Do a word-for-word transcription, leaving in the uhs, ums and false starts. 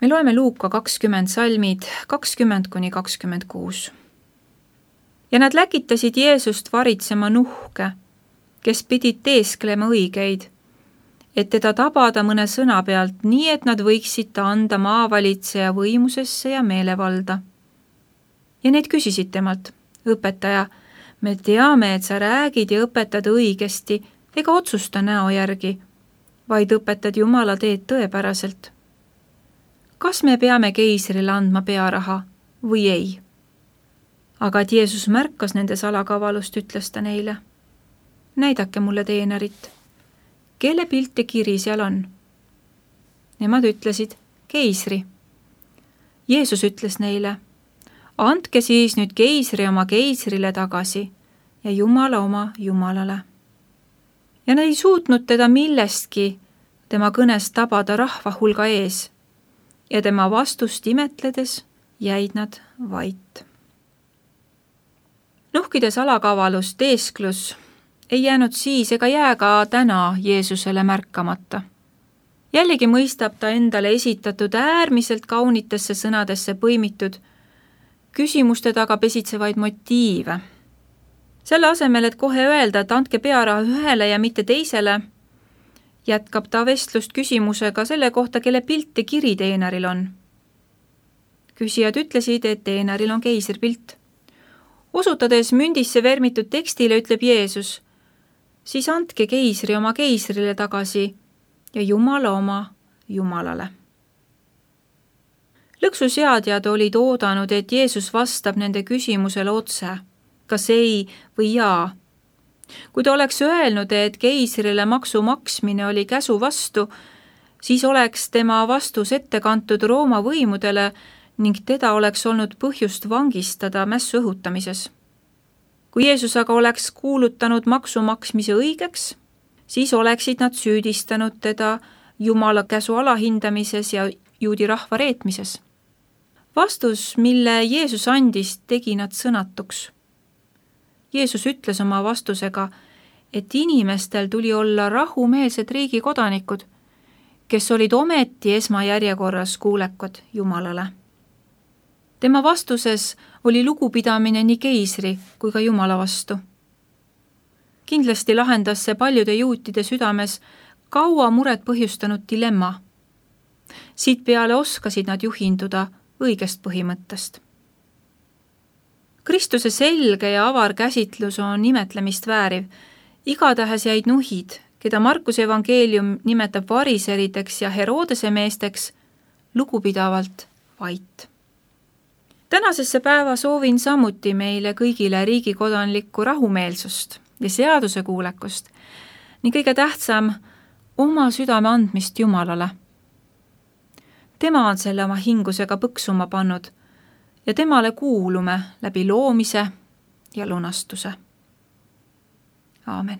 Me loeme Luuka kakskümmend salmid kakskümmend kuni kakskümmend kuus. Ja nad läkitasid Jeesust varitsema nuhke, kes pidid teesklema õigeid, et teda tabada mõne sõna pealt, nii et nad võiksid ta anda maavalitseja võimusesse ja meelevalda. Ja need küsisid temalt, õpetaja, me teame, et sa räägid ja õpetad õigesti ega otsusta näo järgi, vaid õpetad Jumala teed tõepäraselt. Kas me peame keisrile andma pearaha või ei? Aga et Jeesus märkas nende salakavalust, ütles ta neile, näidake mulle teenerit, kelle pilt ja kiri seal on. Nemad ütlesid, keisri. Jeesus ütles neile, andke siis nüüd keisri oma keisrile tagasi ja Jumala oma Jumalale. Ja nad ei suutnud teda millestki tema kõnest tabada rahva hulga ees ja tema vastust imetledes jäid nad vait. Nuhkide salakavalus, teesklus ei jäänud siis ega jää ka täna Jeesusele märkamata. Jällegi mõistab ta endale esitatud äärmiselt kaunitesse sõnadesse põimitud küsimuste taga pesitsevaid motiive. Selle asemel, et kohe öelda, et andke pearaha ühele ja mitte teisele, jätkab ta vestlust küsimusega selle kohta, kelle pilt ja kiri teeneril on. Küsijad ütlesid, et teeneril on keisripilt. Osutades mündisse vermitud tekstile ütleb Jeesus, siis andke keisri oma keisrile tagasi ja Jumala oma Jumalale. Lõksuseadjad olid oodanud, et Jeesus vastab nende küsimusele otse, kas ei või jaa. Kui ta oleks öelnud, et keisrile maksu maksmine oli käsu vastu, siis oleks tema vastus ette kantud Rooma võimudele ning teda oleks olnud põhjust vangistada mässu õhutamises. Kui Jeesus aga oleks kuulutanud maksu maksmise õigeks, siis oleksid nad süüdistanud teda Jumala käsu alahindamises ja juudi rahva reetmises. Vastus, mille Jeesus andis, tegi nad sõnatuks. Jeesus ütles oma vastusega, et inimestel tuli olla rahumeelsed riigi kodanikud, kes olid ometi esmajärjekorras kuulekad Jumalale. Tema vastuses oli lugupidamine nii keisri kui ka Jumala vastu. Kindlasti lahendas see paljude juutide südames kaua muret põhjustanud dilemma. Siit peale oskasid nad juhinduda õigest põhimõttest. Kristuse selge ja avar käsitlus on imetlemist vääriv. Igatahes jäid nuhid, keda Markuse evangeelium nimetab variserideks ja Herodese meesteks, lugupidavalt vait. Tänasesse päeva soovin samuti meile kõigile riigikodanlikku rahumeelsust ja seaduse kuulekust ning kõige tähtsam oma südame andmist Jumalale. Tema on selle oma hingusega põksuma pannud ja temale kuulume läbi loomise ja lunastuse. Aamen.